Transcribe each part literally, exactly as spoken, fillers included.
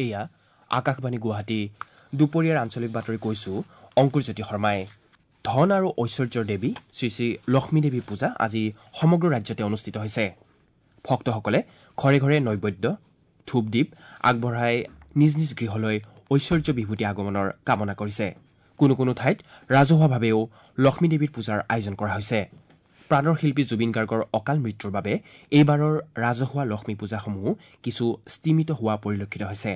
এয়া আকাশবাণী গুৱাহাটী। দুপৰীয়াৰ আঞ্চলিক বাতৰি কৈছো অংকুৰজ্যোতি শৰ্মাই। ধন আৰু ঐশ্বৰ্যৰ দেৱী শ্ৰী শ্ৰী লক্ষ্মী দেৱী পূজা আজি সমগ্ৰ ৰাজ্যতে অনুষ্ঠিত হৈছে। ভক্তসকলে ঘৰে ঘৰে নৈবেদ্য, ধূপ দীপ আগবঢ়াই নিজ নিজ গৃহলৈ ঐশ্বৰ্য বিভূতি আগমনৰ কামনা কৰিছে। কোনো কোনো ঠাইত ৰাজহুৱাভাৱেও লক্ষ্মী দেৱীৰ পূজাৰ আয়োজন কৰা হৈছে। প্ৰাণৰ শিল্পী জুবিন গাৰ্গৰ অকাল মৃত্যুৰ বাবে এইবাৰৰ ৰাজহুৱা লক্ষ্মী পূজাসমূহ কিছু স্তিমিত হোৱা পৰিলক্ষিত হৈছে।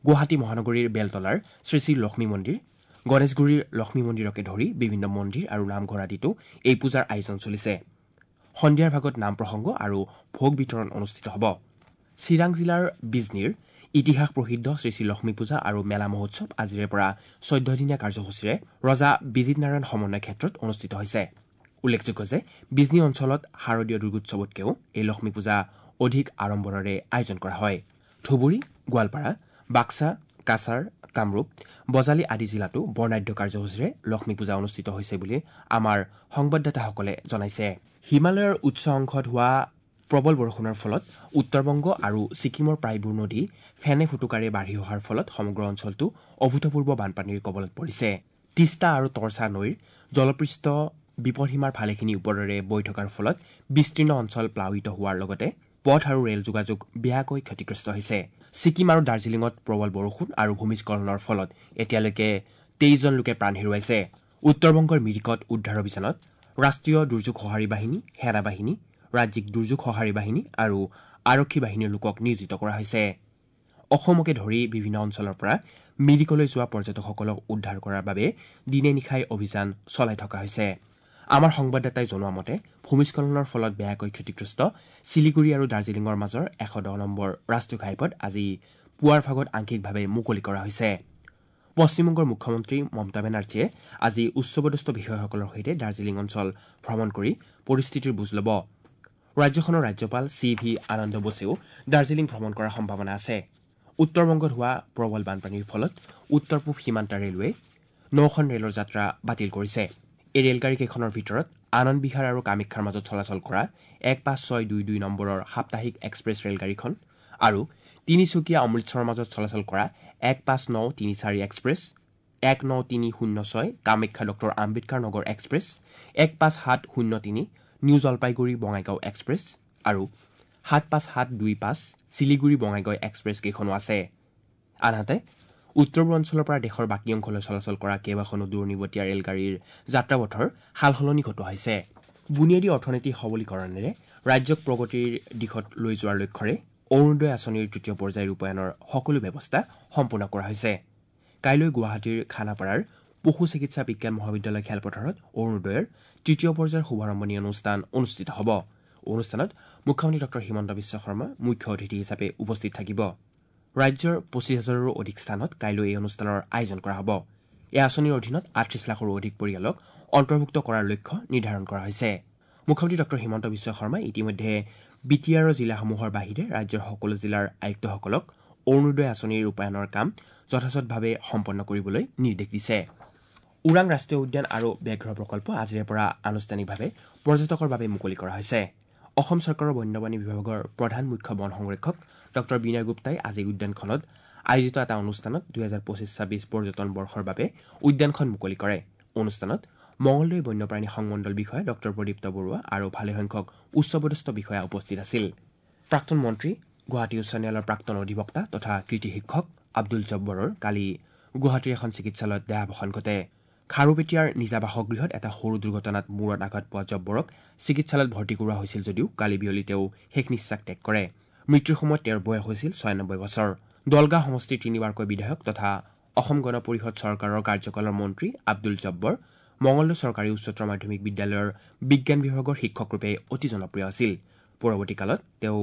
গুৱাহাটী মহানগৰীৰ বেলতলাৰ শ্ৰী শ্ৰী লক্ষ্মী মন্দিৰ, গণেশগুৰিৰ লক্ষ্মী মন্দিৰকে ধৰি বিভিন্ন মন্দিৰ আৰু নামঘৰ আদিতো এই পূজাৰ আয়োজন চলিছে। সন্ধিয়াৰ ভাগত নাম প্ৰসংগ আৰু ভোগ বিতৰণ অনুষ্ঠিত হ'ব। চিৰাং জিলাৰ বিজনীৰ ইতিহাস প্ৰসিদ্ধ শ্ৰী শ্ৰী লক্ষ্মী পূজা আৰু মেলা মহোৎসৱ আজিৰে পৰা চৈধ্যদিনীয়া কাৰ্যসূচীৰে ৰজা বিজিত নাৰায়ণ সমন্বয় ক্ষেত্ৰত অনুষ্ঠিত হৈছে। উল্লেখযোগ্য যে বিজনী অঞ্চলত শাৰদীয় দুৰ্গোৎসৱতকৈও এই লক্ষ্মী পূজা অধিক আড়ম্বৰেৰে আয়োজন কৰা হয়। ধুবুৰী, গোৱালপাৰা, বাক্সা, কাছাৰ, কামৰূপ, বজালী আদি জিলাতো বৰ্ণাঢ্য কাৰ্যসূচীৰে লক্ষ্মী পূজা অনুষ্ঠিত হৈছে বুলি আমাৰ সংবাদদাতাসকলে জনাইছে। হিমালয়ৰ উচ্চ অংশত হোৱা প্ৰবল বৰষুণৰ ফলত উত্তৰবংগ আৰু ছিকিমৰ প্ৰায়বোৰ নদী ফেনে ফুটুকাৰে বাঢ়ি অহাৰ ফলত সমগ্ৰ অঞ্চলটো অভূতপূৰ্ব বানপানীৰ কবলত পৰিছে। তিষ্টা আৰু তৰ্চা নৈৰ জলপৃষ্ঠ বিপদসীমাৰ ভালেখিনি ওপৰেৰে বৈ থকাৰ ফলত বিস্তীৰ্ণ অঞ্চল প্লাৱিত হোৱাৰ লগতে পথ আৰু ৰেল যোগাযোগ বেয়াকৈ ক্ষতিগ্ৰস্ত হৈছে। ছিকিম আৰু দাৰ্জিলিঙত প্ৰবল বৰষুণ আৰু ভূমিস্খলনৰ ফলত এতিয়ালৈকে তেইছজন লোকে প্ৰাণ হেৰুৱাইছে। উত্তৰবংগৰ মিৰিকত উদ্ধাৰ অভিযানত ৰাষ্ট্ৰীয় দুৰ্যোগ সঁহাৰি বাহিনী, সেনা বাহিনী, ৰাজ্যিক দুৰ্যোগ সঁহাৰি বাহিনী আৰু আৰক্ষী বাহিনীৰ লোকক নিয়োজিত কৰা হৈছে। অসমকে ধৰি বিভিন্ন অঞ্চলৰ পৰা মিৰিকলৈ যোৱা পৰ্যটকসকলক উদ্ধাৰ কৰাৰ বাবে দিনে নিশাই অভিযান চলাই থকা হৈছে। আমাৰ সংবাদদাতাই জনোৱা মতে ভূমিস্খলনৰ ফলত বেয়াকৈ ক্ষতিগ্ৰস্ত শিলিগুৰি আৰু দাৰ্জিলিঙৰ মাজৰ এশ দহ নম্বৰ ৰাষ্ট্ৰীয় ঘাইপথ আজি পুৱাৰ ভাগত আংশিকভাৱে মুকলি কৰা হৈছে। পশ্চিমবংগৰ মুখ্যমন্ত্ৰী মমতা বেনাৰ্জীয়ে আজি উচ্চপদস্থ বিষয়াসকলৰ সৈতে দাৰ্জিলিং অঞ্চল ভ্ৰমণ কৰি পৰিস্থিতিৰ বুজ ল'ব। ৰাজ্যখনৰ ৰাজ্যপাল চি ভি আনন্দ বোসেও দাৰ্জিলিং ভ্ৰমণ কৰাৰ সম্ভাৱনা আছে। উত্তৰবংগত হোৱা প্ৰবল বানপানীৰ ফলত উত্তৰ পূব সীমান্ত ৰেলৱে নখন ৰেলৰ যাত্ৰা বাতিল কৰিছে। এই ৰেলগাড়ীকেইখনৰ ভিতৰত আনন্দ বিহাৰ আৰু কামাখ্যাৰ মাজত চলাচল কৰা এক পাঁচ ছয় দুই দুই নম্বৰৰ সাপ্তাহিক এক্সপ্ৰেছ ৰেলগাড়ীখন আৰু তিনিচুকীয়া অমৃতসৰৰ মাজত চলাচল কৰা এক পাঁচ ন তিনি চাৰি এক্সপ্ৰেছ, এক ন তিনি শূন্য ছয় কামাখ্যা ডক্টৰ আম্বেদকাৰ নগৰ এক্সপ্ৰেছ, এক পাঁচ সাত শূন্য তিনি নিউ জলপাইগুৰি বঙাইগাঁও এক্সপ্ৰেছ আৰু সাত পাঁচ সাত দুই পাঁচ শিলিগুৰি বঙাইগাঁও এক্সপ্ৰেছ কেইখনো আছে। আনহাতে উত্তৰ পূৰ্বাঞ্চলৰ পৰা দেশৰ বাকী অংশলৈ চলাচল কৰা কেইবাখনো দূৰণিবটীয়া ৰেলগাড়ীৰ যাত্ৰাপথৰ সালসলনি ঘটোৱা হৈছে। বুনিয়াদী অৰ্থনীতি সবলীকৰণেৰে ৰাজ্যক প্ৰগতিৰ দিশত লৈ যোৱাৰ লক্ষ্যৰে অৰুণোদয় আঁচনিৰ তৃতীয় পৰ্যায় ৰূপায়ণৰ সকলো ব্যৱস্থা সম্পূৰ্ণ কৰা হৈছে। কাইলৈ গুৱাহাটীৰ খানাপাৰাৰ পশু চিকিৎসা বিজ্ঞান মহাবিদ্যালয় খেলপথাৰত অৰুণোদয়ৰ তৃতীয় পৰ্যায়ৰ শুভাৰম্ভণি অনুষ্ঠান অনুষ্ঠিত হ'ব। অনুষ্ঠানত মুখ্যমন্ত্ৰী ডক্টৰ হিমন্ত বিশ্ব শৰ্মা মুখ্য অতিথি হিচাপে উপস্থিত থাকিব। ৰাজ্যৰ পঁচিছ হাজাৰৰো অধিক স্থানত কাইলৈ এই অনুষ্ঠানৰ আয়োজন কৰা হ'ব। এই আঁচনিৰ অধীনত আঠত্ৰিছ লাখৰো অধিক পৰিয়ালক অন্তৰ্ভুক্ত কৰাৰ লক্ষ্য নিৰ্ধাৰণ কৰা হৈছে। মুখ্যমন্ত্ৰী ডক্টৰ হিমন্ত বিশ্ব শৰ্মাই ইতিমধ্যে বি টি আৰৰ জিলাসমূহৰ বাহিৰে ৰাজ্যৰ সকলো জিলাৰ আয়ুক্তসকলক অৰুণোদয় আঁচনিৰ ৰূপায়ণৰ কাম যথাযথভাৱে সম্পন্ন কৰিবলৈ নিৰ্দেশ দিছে। ওৰাং ৰাষ্ট্ৰীয় উদ্যান আৰু ব্যাঘ্ৰ প্ৰকল্প আজিৰে পৰা আনুষ্ঠানিকভাৱে পৰ্যটকৰ বাবে মুকলি কৰা হৈছে। অসম চৰকাৰৰ বন্যপ্ৰাণী বিভাগৰ প্ৰধান মুখ্য বন সংৰক্ষক ডক্টৰ বিনয় গুপ্তাই আজি উদ্যানখনত আয়োজিত এটা অনুষ্ঠানত দুহেজাৰ পঁচিছ ছাব্বিছ পৰ্যটন বৰ্ষৰ বাবে উদ্যানখন মুকলি কৰে। অনুষ্ঠানত মঙলদৈ বন্যপ্ৰাণী সংমণ্ডল বিষয়া ডক্টৰ প্ৰদীপ্ত বৰুৱা আৰু ভালেসংখ্যক উচ্চপদস্থ বিষয়া উপস্থিত আছিল। প্ৰাক্তন মন্ত্ৰী, গুৱাহাটী উচ্চ ন্যায়ালয়ৰ প্ৰাক্তন অধিবক্তা তথা কৃতি শিক্ষক আব্দুল জব্বৰৰ কালি গুৱাহাটীৰ এখন চিকিৎসালয়ত দেহাৱসান ঘটে। খাৰুপেটীয়াৰ নিজা বাসগৃহত এটা সৰু দুৰ্ঘটনাত মূৰত আঘাত পোৱা জব্বৰক চিকিৎসালয়ত ভৰ্তি কৰোৱা হৈছিল যদিও কালি বিয়লি তেওঁ শেষ নিশ্বাস ত্যাগ কৰে। মৃত্যুৰ সময়ত তেওঁৰ বয়স হৈছিল ছয়ানব্বৈ বছৰ। দলগাঁও সমষ্টিৰ তিনিবাৰকৈ বিধায়ক তথা অসম গণ পৰিষদ চৰকাৰৰ কাৰ্যকালৰ মন্ত্ৰী আব্দুল জব্বৰ মঙলদৈ চৰকাৰী উচ্চতৰ মাধ্যমিক বিদ্যালয়ৰ বিজ্ঞান বিভাগৰ শিক্ষকৰূপে অতি জনপ্ৰিয় আছিল। পৰৱৰ্তী কালত তেওঁ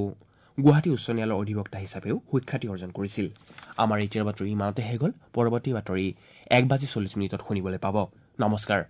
গুৱাহাটী উচ্চ ন্যায়ালয়ৰ অধিবক্তা হিচাপেও সুখ্যাতি অৰ্জন কৰিছিল। আমাৰ এতিয়াৰ বাতৰি ইমানতে শেষ হ'ল। পৰৱৰ্তী বাতৰি এক বাজি চল্লিছ মিনিটত শুনিবলৈ পাব। নমস্কাৰ।